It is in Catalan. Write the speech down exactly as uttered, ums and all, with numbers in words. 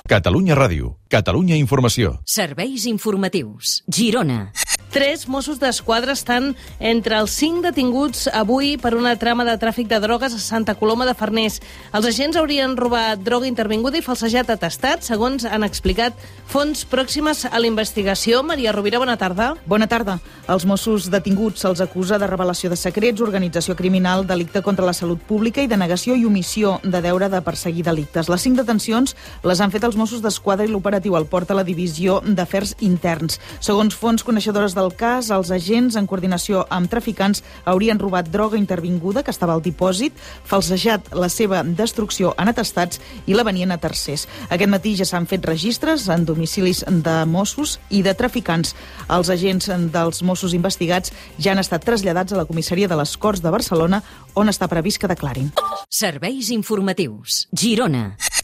Catalunya Ràdio, Catalunya Informació. Serveis informatius. Girona. Tres Mossos d'Esquadra estan entre els cinc detinguts avui per una trama de tràfic de drogues a Santa Coloma de Farners. Els agents haurien robat droga intervinguda i falsejat atestats, segons han explicat fonts pròximes a la investigació. Maria Rovira, bona tarda. Bona tarda. Els Mossos detinguts se'ls acusa de revelació de secrets, organització criminal, delicte contra la salut pública i denegació i omissió de deure de perseguir delictes. Les cinc detencions les han fet els Mossos d'Esquadra i l'operatiu el porta a la Divisió d'Afers Interns. Segons fonts coneixedores del cas, els agents, en coordinació amb traficants, haurien robat droga intervinguda que estava al dipòsit, falsejat la seva destrucció en atestats i la venien a tercers. Aquest matí ja s'han fet registres en domicilis de Mossos i de traficants. Els agents dels Mossos investigats ja han estat traslladats a la comissaria de les Corts de Barcelona, on està previst que declarin. Serveis informatius. Girona.